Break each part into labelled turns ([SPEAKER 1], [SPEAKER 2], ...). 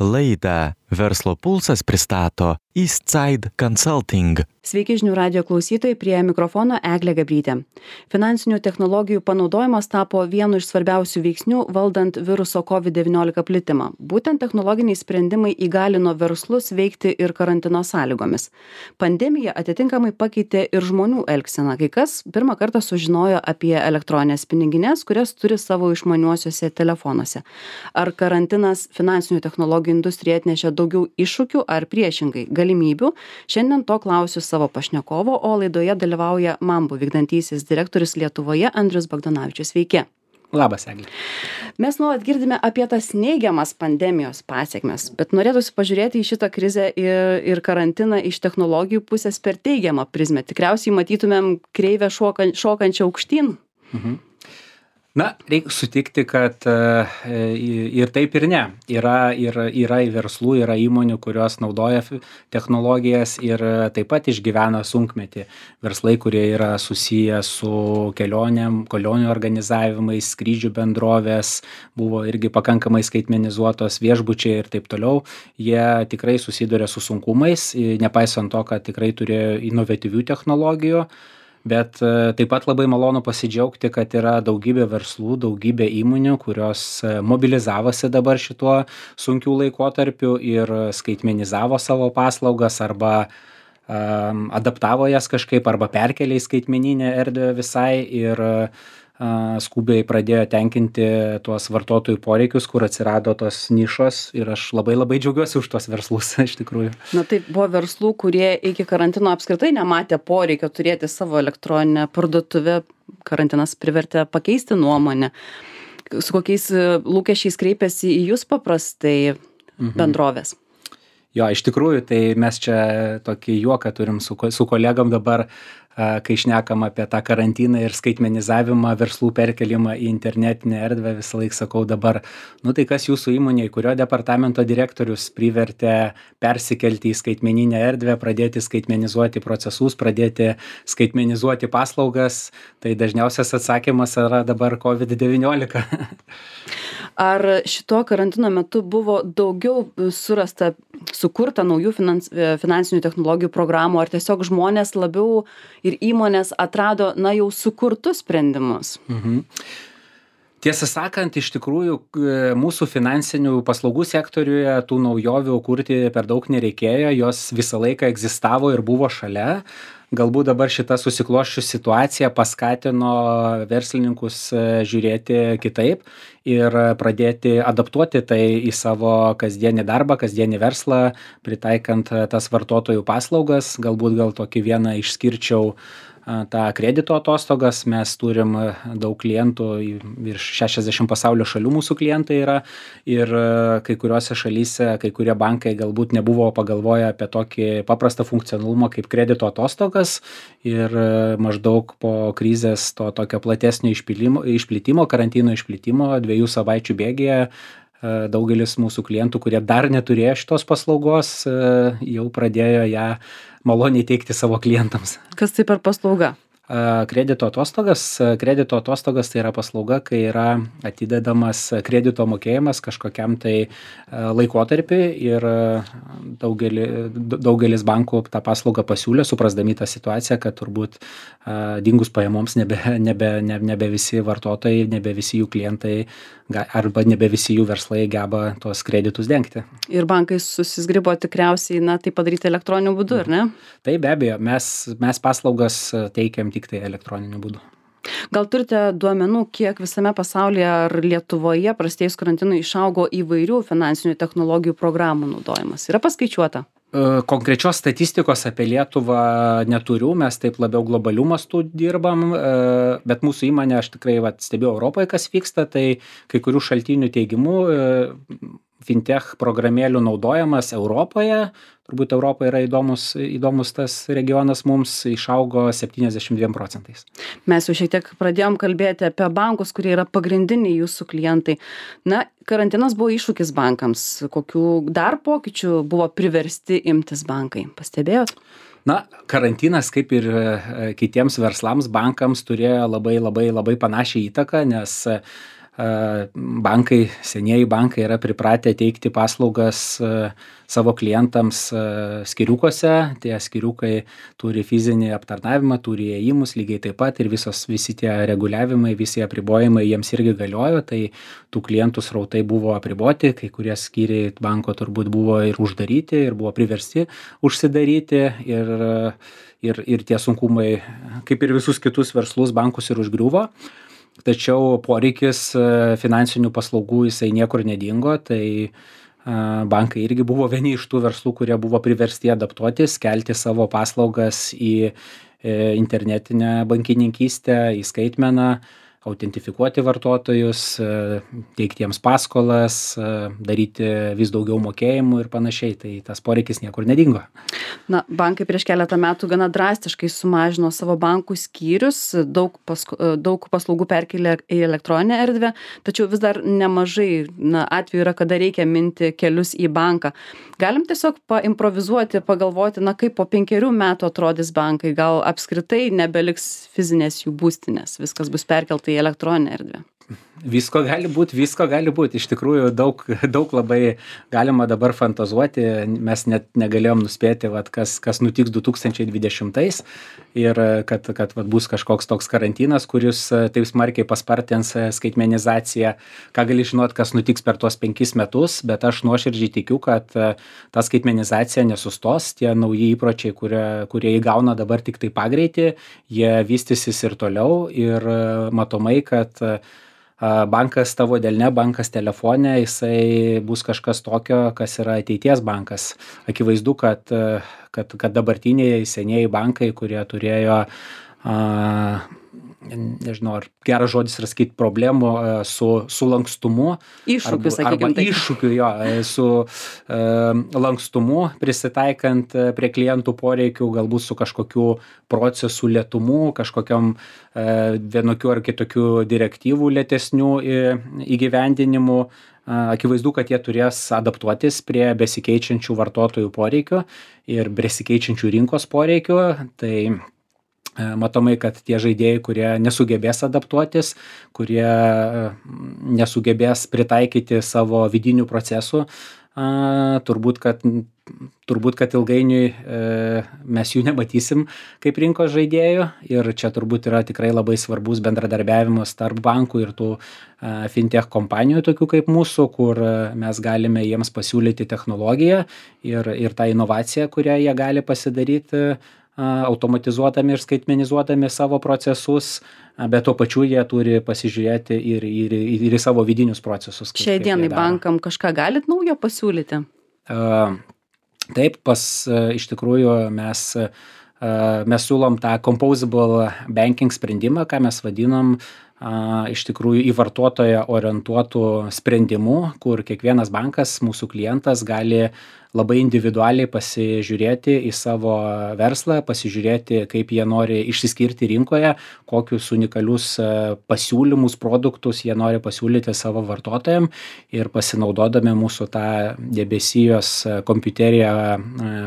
[SPEAKER 1] Laidą Verslo pulsas pristato Eastside Consulting.
[SPEAKER 2] Sveiki žinių radijo klausytojai, prie mikrofono Eglė Gabrytė. Finansinių technologijų panaudojimas tapo vienu iš svarbiausių veiksnių valdant viruso COVID-19 plitimą. Būtent technologiniai sprendimai įgalino verslus veikti ir karantino sąlygomis. Pandemija atitinkamai pakeitė ir žmonių elgseną. Kai kas pirmą kartą sužinojo apie elektroninės pinigines, kurias turi savo išmaniuosiuose telefonuose. Ar karantinas finansinių technologijų industrijai atnešė daugiau iššūkių ar priešingai galimybių? Šiandien to klausiu savo pašnekovo, o laidoje dalyvauja Mambu vykdantysis direktorius Lietuvoje Andrius Bagdonavičius. Sveiki.
[SPEAKER 3] Labas, Eglė.
[SPEAKER 2] Mes nuolat girdime apie tas neigiamas pandemijos pasekmes, bet norėtųsi pažiūrėti į šitą krizę ir karantiną iš technologijų pusės per teigiamą prizmę. Tikriausiai matytumėm kreivę šokančią aukštyn.
[SPEAKER 3] Na, reikia sutikti, kad ir taip ir ne. Yra verslų, yra įmonių, kurios naudoja technologijas ir taip pat išgyvena sunkmetį. Verslai, kurie yra susiję su kelionių organizavimais, skrydžių bendrovės, buvo irgi pakankamai skaitmenizuotos, viešbučiai ir taip toliau. Jie tikrai susiduria su sunkumais, nepaisant to, kad tikrai turėjo inovatyvių technologijų. Bet taip pat labai malonu pasidžiaugti, kad yra daugybė verslų, daugybė įmonių, kurios mobilizavosi dabar šituo sunkiu laikotarpiu ir skaitmenizavo savo paslaugas arba adaptavo jas kažkaip arba perkėlė į skaitmeninę erdvę visai ir skubiai pradėjo tenkinti tuos vartotojų poreikius, kur atsirado tos nišos ir aš labai džiaugiuosi už tuos verslus iš tikrųjų.
[SPEAKER 2] Na tai buvo verslų, kurie iki karantino apskritai nematė poreikio turėti savo elektroninę parduotuvę. Karantinas privertė pakeisti nuomonę. Su kokiais lūkesčiais kreipiasi į jūs paprastai bendrovės?
[SPEAKER 3] Jo, iš tikrųjų, tai mes čia tokį juoką turim su kolegom dabar, kai šnekam apie tą karantiną ir skaitmenizavimą, verslų perkelimą į internetinę erdvę, visą laiką sakau dabar, tai kas jūsų įmonėje, kurio departamento direktorius privertė persikelti į skaitmeninę erdvę, pradėti skaitmenizuoti procesus, pradėti skaitmenizuoti paslaugas, tai dažniausias atsakymas yra dabar COVID-19.
[SPEAKER 2] Ar šito karantino metu buvo daugiau sukurta naujų finansinių technologijų programų, ar tiesiog žmonės labiau ir įmonės atrado, jau sukurtus sprendimus?
[SPEAKER 3] Tiesą sakant, iš tikrųjų, mūsų finansinių paslaugų sektoriuje tų naujovių kurti per daug nereikėjo, jos visą laiką egzistavo ir buvo šalia. Galbūt dabar šita susiklosčius situacija paskatino verslininkus žiūrėti kitaip ir pradėti adaptuoti tai į savo kasdienį darbą, kasdienį verslą, pritaikant tas vartotojų paslaugas. Galbūt tokį vieną išskirčiau tą kredito atostogas. Mes turim daug klientų, virš 60 pasaulio šalių mūsų klientai yra ir kai kuriuose šalyse, kai kurie bankai galbūt nebuvo pagalvoję apie tokį paprastą funkcionalumą kaip kredito atostogas ir maždaug po krizės to tokio platesnio išplitimo, karantino išplitimo 2 savaičių bėgyje daugelis mūsų klientų, kurie dar neturėjo šitos paslaugos, jau pradėjo ją maloniai teikti savo klientams.
[SPEAKER 2] Kas tai per paslauga?
[SPEAKER 3] Kredito atostogas tai yra paslauga, kai yra atidedamas kredito mokėjimas kažkokiam tai laikotarpiui ir daugelis bankų tą paslaugą pasiūlė, suprasdami tą situaciją, kad turbūt dingus pajamoms nebe visi vartotojai, nebe visi jų klientai arba nebe visi jų verslai geba tuos kreditus dengti.
[SPEAKER 2] Ir bankai susizgribo tikriausiai tai padaryti elektroniniu būdu, ar ne?
[SPEAKER 3] Tai be abejo, mes paslaugas teikiam tik tai elektroniniu būdu.
[SPEAKER 2] Gal turite duomenų, kiek visame pasaulyje ar Lietuvoje prasidėjus karantinui išaugo įvairių finansinių technologijų programų naudojimas? Yra paskaičiuota?
[SPEAKER 3] Konkrečios statistikos apie Lietuvą neturiu, mes taip labiau globalių mastų dirbam, bet mūsų įmonė, aš tikrai stebiu Europoje, kas vyksta, tai kai kurių šaltinių teigimu fintech programėlių naudojimas Europoje, turbūt Europoje yra įdomus tas regionas, mums išaugo 72%.
[SPEAKER 2] Mes jau šiek tiek pradėjom kalbėti apie bankus, kurie yra pagrindiniai jūsų klientai. Karantinas buvo iššūkis bankams. Kokių dar pokyčių buvo priversti imtis bankai? Pastebėjot?
[SPEAKER 3] Karantinas, kaip ir kitiems verslams, bankams turėjo labai panašią įtaką, nes senieji bankai yra pripratę teikti paslaugas savo klientams skyriukuose. Tie skyriukai turi fizinį aptarnavimą, turi įėjimus lygiai taip pat ir visi tie reguliavimai, visi apribojimai jiems irgi galiojo, tai tų klientų srautai buvo apriboti, kai kurie skyriai banko turbūt buvo ir uždaryti, ir buvo priversti užsidaryti ir tie sunkumai, kaip ir visus kitus verslus, bankus ir užgriuvo. Tačiau poreikis finansinių paslaugų jisai niekur nedingo, tai bankai irgi buvo vieni iš tų verslų, kurie buvo priversti adaptuotis, kelti savo paslaugas į internetinę bankininkystę, į skaitmeną, autentifikuoti vartotojus, teikti jiems paskolas, daryti vis daugiau mokėjimų ir panašiai, tai tas poreikis niekur nedingo.
[SPEAKER 2] Na, bankai prieš keletą metų gana drastiškai sumažino savo bankų skyrius, daug paslaugų perkėlė į elektroninę erdvę, tačiau vis dar nemažai atvejų yra, kada reikia minti kelius į banką. Galim tiesiog paimprovizuoti, pagalvoti, kaip po 5 metų atrodys bankai, gal apskritai nebeliks fizinės jų būstinės, viskas bus perkelta į elektroninę erdvę.
[SPEAKER 3] Visko gali būt. Iš tikrųjų, daug labai galima dabar fantazuoti. Mes net negalėjom nuspėti, kas nutiks 2020 ir kad bus kažkoks toks karantinas, kuris taip smarkiai paspartins skaitmenizaciją. Ką gali žinot, kas nutiks per tuos 5 metus, bet aš nuoširdžiai tikiu, kad ta skaitmenizacija nesustos. Tie nauji įpročiai, kurie įgauna dabar tik tai pagreitį, jie vystysis ir toliau ir matomai, kad bankas tavo delne, bankas telefone, jisai bus kažkas tokio, kas yra ateities bankas. Akivaizdu, kad dabartiniai senieji bankai, kurie turėjo, nežinau, ar geras žodis yra sakyti, problemų su lankstumu. Iššūkiu, su lankstumu, prisitaikant prie klientų poreikių, galbūt su kažkokiu procesų lėtumu, kažkokiam vienokių ar kitokių direktyvų lėtesnių įgyvendinimu. Akivaizdu, kad jie turės adaptuotis prie besikeičiančių vartotojų poreikių ir besikeičiančių rinkos poreikių. Tai matomai, kad tie žaidėjai, kurie nesugebės adaptuotis, kurie nesugebės pritaikyti savo vidinių procesų, turbūt, kad ilgainiui mes jų nematysim kaip rinkos žaidėjų ir čia turbūt yra tikrai labai svarbus bendradarbiavimas tarp bankų ir tų fintech kompanijų, tokių kaip mūsų, kur mes galime jiems pasiūlyti technologiją ir tą inovaciją, kurią jie gali pasidaryti automatizuodami ir skaitmenizuodami savo procesus, bet tuo pačiu jie turi pasižiūrėti ir į savo vidinius procesus.
[SPEAKER 2] Šiai dienai bankam kažką galit naujo pasiūlyti?
[SPEAKER 3] Taip, iš tikrųjų mes siūlom tą composable banking sprendimą, ką mes vadinam iš tikrųjų į vartotoją orientuotų sprendimų, kur kiekvienas bankas, mūsų klientas, gali labai individualiai pasižiūrėti į savo verslą, pasižiūrėti, kaip jie nori išsiskirti rinkoje, kokius unikalius pasiūlymus, produktus jie nori pasiūlyti savo vartotojam ir pasinaudodami mūsų tą debesijos kompiuterija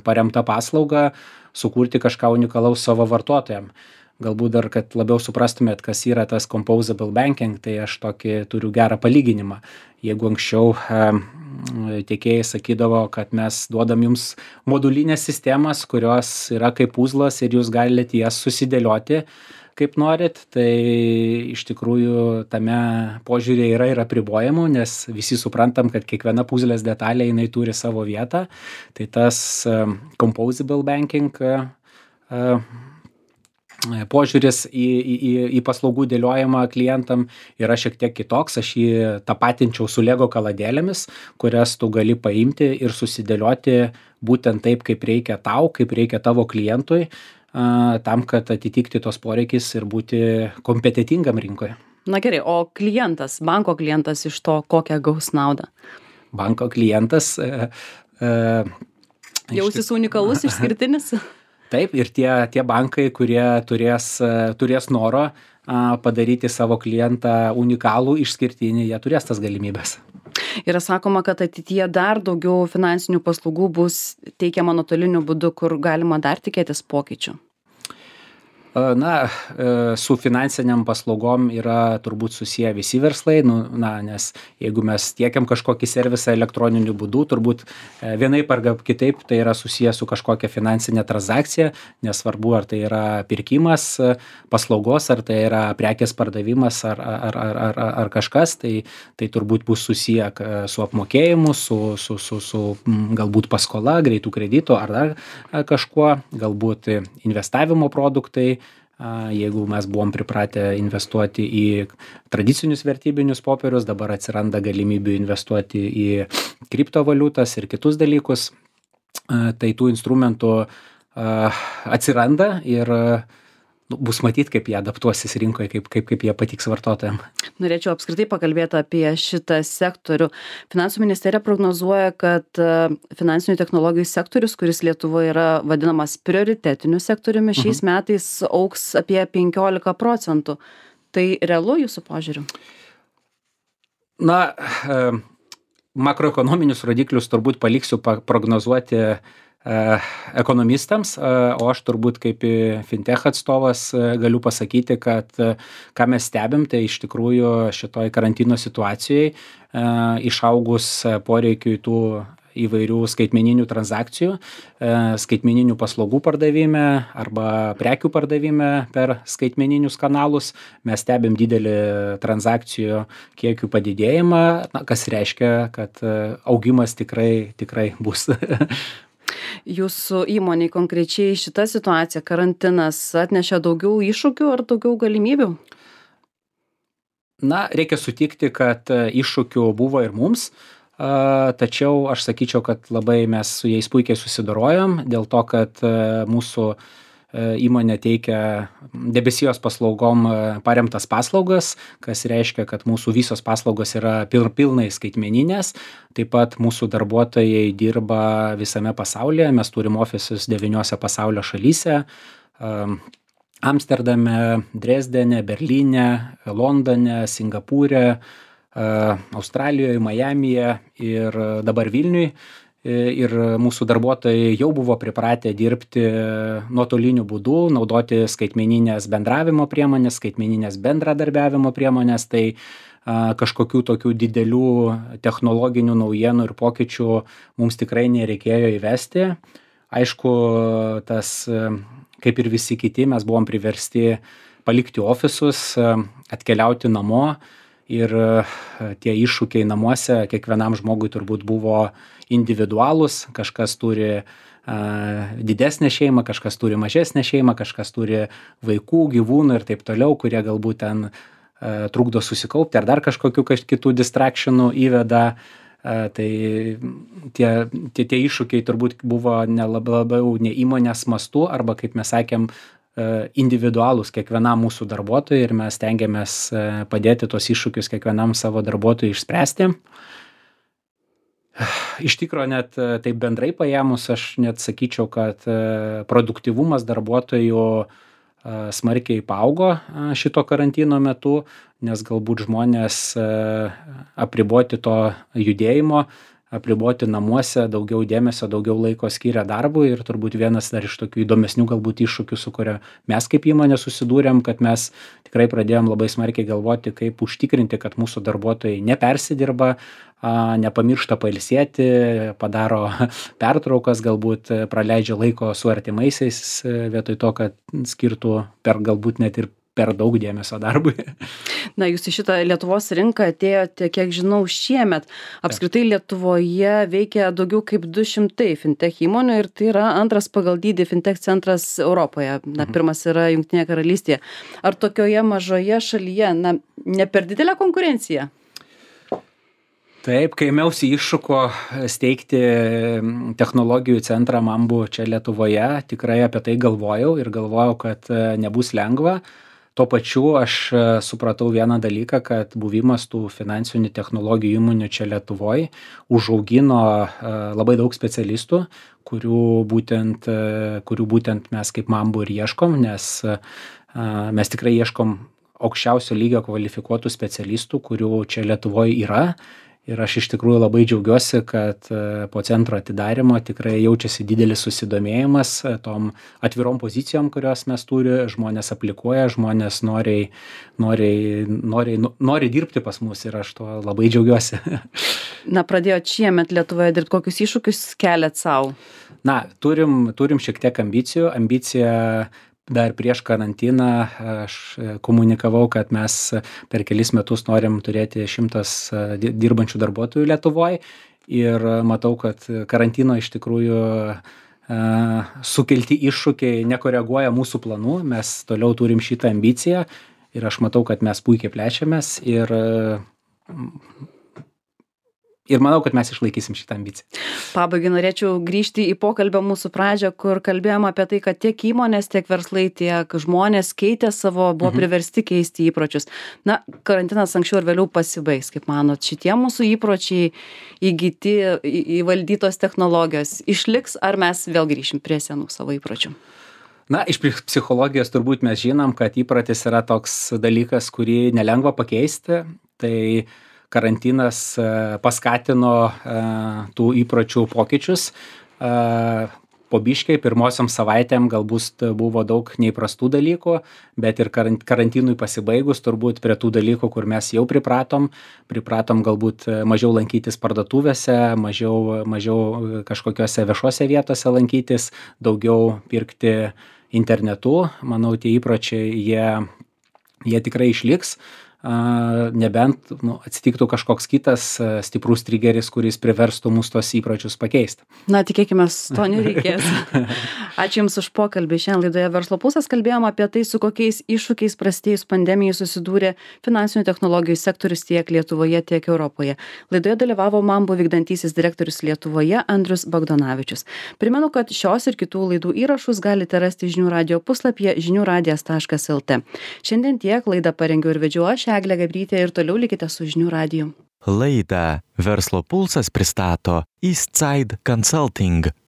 [SPEAKER 3] paremtą paslaugą, sukurti kažką unikalaus savo vartotojam. Galbūt dar, kad labiau suprastumėt, kas yra tas composable banking, tai aš tokį turiu gerą palyginimą. Jeigu anksčiau tiekėjai sakydavo, kad mes duodam jums modulinės sistemas, kurios yra kaip puzlas ir jūs galite jas susidėlioti kaip norit, tai iš tikrųjų tame požiūrėje yra ir apribojimų, nes visi suprantam, kad kiekviena puzlės detalė jinai turi savo vietą. Tai tas composable banking požiūris į paslaugų dėliojimą klientam yra šiek tiek kitoks. Aš jį tapatinčiau su Lego kaladėlėmis, kurias tu gali paimti ir susidėlioti būtent taip, kaip reikia tau, kaip reikia tavo klientui, tam, kad atitikti tos poreikis ir būti kompetitingam rinkoje.
[SPEAKER 2] Na gerai, o klientas, banko klientas iš to kokią gaus naudą?
[SPEAKER 3] Banko klientas
[SPEAKER 2] jausis unikalus, išskirtinis?
[SPEAKER 3] Taip, ir tie bankai, kurie turės noro padaryti savo klientą unikalų, išskirtinį, jie turės tas galimybės.
[SPEAKER 2] Yra sakoma, kad ateityje dar daugiau finansinių paslaugų bus teikiama nuotoliniu būdu, kur galima dar tikėtis pokyčių.
[SPEAKER 3] Su finansiniam paslaugom yra turbūt susiję visi verslai, nes jeigu mes tiekiam kažkokį servisą elektroniniu būdu, turbūt vienaip ar kitaip tai yra susiję su kažkokia finansinė transakcija, nesvarbu ar tai yra pirkimas paslaugos, ar tai yra prekės pardavimas ar kažkas, tai turbūt bus susiję su apmokėjimu, su galbūt paskola, greitų kreditų ar dar kažkuo, galbūt investavimo produktai. Jeigu mes buvom pripratę investuoti į tradicinius vertybinius popierius, dabar atsiranda galimybių investuoti į kriptovaliutas ir kitus dalykus, tai tų instrumentų atsiranda ir bus matyt, kaip jie adaptuosis rinkoje, kaip jie patiks vartotojams.
[SPEAKER 2] Norėčiau apskritai pakalbėti apie šitą sektorių. Finansų ministerija prognozuoja, kad finansinių technologijų sektorius, kuris Lietuvoje yra vadinamas prioritetiniu sektoriumi, šiais metais augs apie 15%. Tai realu jūsų požiūriu?
[SPEAKER 3] Makroekonominius rodiklius turbūt paliksiu prognozuoti ekonomistams, o aš turbūt kaip fintech atstovas galiu pasakyti, kad ką mes stebim, tai iš tikrųjų šitoj karantino situacijai išaugus poreikiui tų įvairių skaitmeninių transakcijų, skaitmeninių paslaugų pardavime arba prekių pardavime per skaitmeninius kanalus. Mes stebim didelį transakcijų kiekių padidėjimą, kas reiškia, kad augimas tikrai bus.
[SPEAKER 2] Jūsų įmonei konkrečiai šita situacija, karantinas, atnešė daugiau iššūkių ar daugiau galimybių?
[SPEAKER 3] Reikia sutikti, kad iššūkių buvo ir mums, tačiau aš sakyčiau, kad labai mes su jais puikiai susidorojom, dėl to, kad mūsų įmonė teikia debesijos paslaugom paremtas paslaugas, kas reiškia, kad mūsų visos paslaugos yra pilnai skaitmeninės. Taip pat mūsų darbuotojai dirba visame pasaulyje, mes turim ofisus 9 pasaulio šalyse. Amsterdame, Dresdene, Berlyne, Londone, Singapūre, Australijoje, Majamyje ir dabar Vilniuj. Ir mūsų darbuotojai jau buvo pripratę dirbti nuotoliniu būdu, naudoti skaitmeninės bendravimo priemonės, skaitmeninės bendradarbiavimo priemonės, tai kažkokių tokių didelių technologinių naujienų ir pokyčių mums tikrai nereikėjo įvesti. Aišku, tas, kaip ir visi kiti, mes buvom priversti palikti ofisus, atkeliauti namo ir tie iššūkiai namuose kiekvienam žmogui turbūt buvo individualūs, kažkas turi didesnę šeimą, kažkas turi mažesnę šeimą, kažkas turi vaikų, gyvūnų ir taip toliau, kurie galbūt ten trukdo susikaupti ar dar kažkokių kitų distractionų įveda. Tai tie iššūkiai turbūt buvo labiau ne įmonės mastu arba, kaip mes sakėm, individualūs kiekvienam mūsų darbuotojui ir mes stengiamės padėti tos iššūkius kiekvienam savo darbuotojui išspręsti. Iš tikrųjų, net taip bendrai paėmus, aš net sakyčiau, kad produktyvumas darbuotojų smarkiai paaugo šito karantino metu, nes galbūt žmonės apriboti to judėjimo, apriboti namuose, daugiau dėmesio, daugiau laiko skiria darbui ir turbūt vienas dar iš tokių įdomesnių galbūt iššūkių, su kuria mes kaip įmonė susidūrėm, kad mes tikrai pradėjom labai smarkiai galvoti, kaip užtikrinti, kad mūsų darbuotojai nepersidirba, nepamiršta pailsėti, padaro pertraukas, galbūt praleidžia laiko su artimaisiais vietoj to, kad skirtų galbūt net ir per daug dėmesio darbui.
[SPEAKER 2] Jūs į šitą Lietuvos rinką atėjote, kiek žinau, šiemet. Apskritai Lietuvoje veikia daugiau kaip 200 fintech įmonių ir tai yra antras pagal dydį fintech centras Europoje. Pirmas yra Jungtinėje Karalystėje. Ar tokioje mažoje šalyje, ne per didelė konkurencija?
[SPEAKER 3] Taip, kai ėmiausi iššūko steigti technologijų centrą Mambu čia Lietuvoje, tikrai apie tai galvojau ir galvojau, kad nebus lengva. Tuo pačiu aš supratau vieną dalyką, kad buvimas tų finansinių technologijų įmonių čia Lietuvoje užaugino labai daug specialistų, kurių būtent mes kaip Mambu ir ieškom, nes mes tikrai ieškom aukščiausio lygio kvalifikuotų specialistų, kurių čia Lietuvoje yra. Ir aš iš tikrųjų labai džiaugiuosi, kad po centro atidarymo tikrai jaučiasi didelis susidomėjimas tom atvirom pozicijom, kurios mes turime, žmonės aplikuoja, žmonės nori dirbti pas mus ir aš tuo labai džiaugiuosi.
[SPEAKER 2] Na, pradėjot šiemet Lietuvoje dirbti, kokius iššūkius keliat savo?
[SPEAKER 3] Na, turim šiek tiek ambicijų. Ambicija dar prieš karantiną aš komunikavau, kad mes per kelis metus norim turėti 100 dirbančių darbuotojų Lietuvoje ir matau, kad karantino iš tikrųjų sukelti iššūkiai nekoreguoja mūsų planų. Mes toliau turim šitą ambiciją ir aš matau, kad mes puikiai plečiamės ir manau, kad mes išlaikysim šitą ambiciją.
[SPEAKER 2] Pabaigai norėčiau grįžti į pokalbio mūsų pradžią, kur kalbėjom apie tai, kad tiek įmonės, tiek verslai, tiek žmonės keitė buvo priversti keisti įpročius. Na, karantinas anksčiau ir vėliau pasibaigs, kaip manot, šitie mūsų įpročiai įgyti, įvaldytos technologijos išliks, ar mes vėl grįšim prie senų savo įpročių?
[SPEAKER 3] Na, iš psichologijos turbūt mes žinom, kad įprotis yra toks dalykas, kurį nelengva pakeisti. Tai karantinas paskatino tų įpročių pokyčius. Po biškai pirmosiom savaitėm galbūt buvo daug neįprastų dalykų, bet ir karantinui pasibaigus turbūt prie tų dalykų, kur mes jau pripratom galbūt mažiau lankytis parduotuvėse, mažiau kažkokiose viešose vietose lankytis, daugiau pirkti internetu. Manau, tie įpročiai jie tikrai išliks. Nebent atsitiktų kažkoks kitas stiprus trigeris, kuris priverstų mus tos įpročius pakeisti.
[SPEAKER 2] Na, tikėkime, to nereikės. Ačiū Jums už pokalbį. Šiandien laidoje Verslo pulsas kalbėjom apie tai, su kokiais iššūkiais prasidėjus pandemijai susidūrė finansinių technologijų sektorius tiek Lietuvoje, tiek Europoje. Laidoje dalyvavo Mambu vykdantysis direktorius Lietuvoje Andrius Bagdonavičius. Primenu, kad šios ir kitų laidų įrašus galite rasti žinių radijo puslapyje žiniųradijas.lt. Šiandien tiek, laidą parengiau ir vedžiau aš, Eglė Gabrytė, ir toliau likite su žinių radiju.
[SPEAKER 1] Laidą Verslo pulsas pristato Eastside Consulting.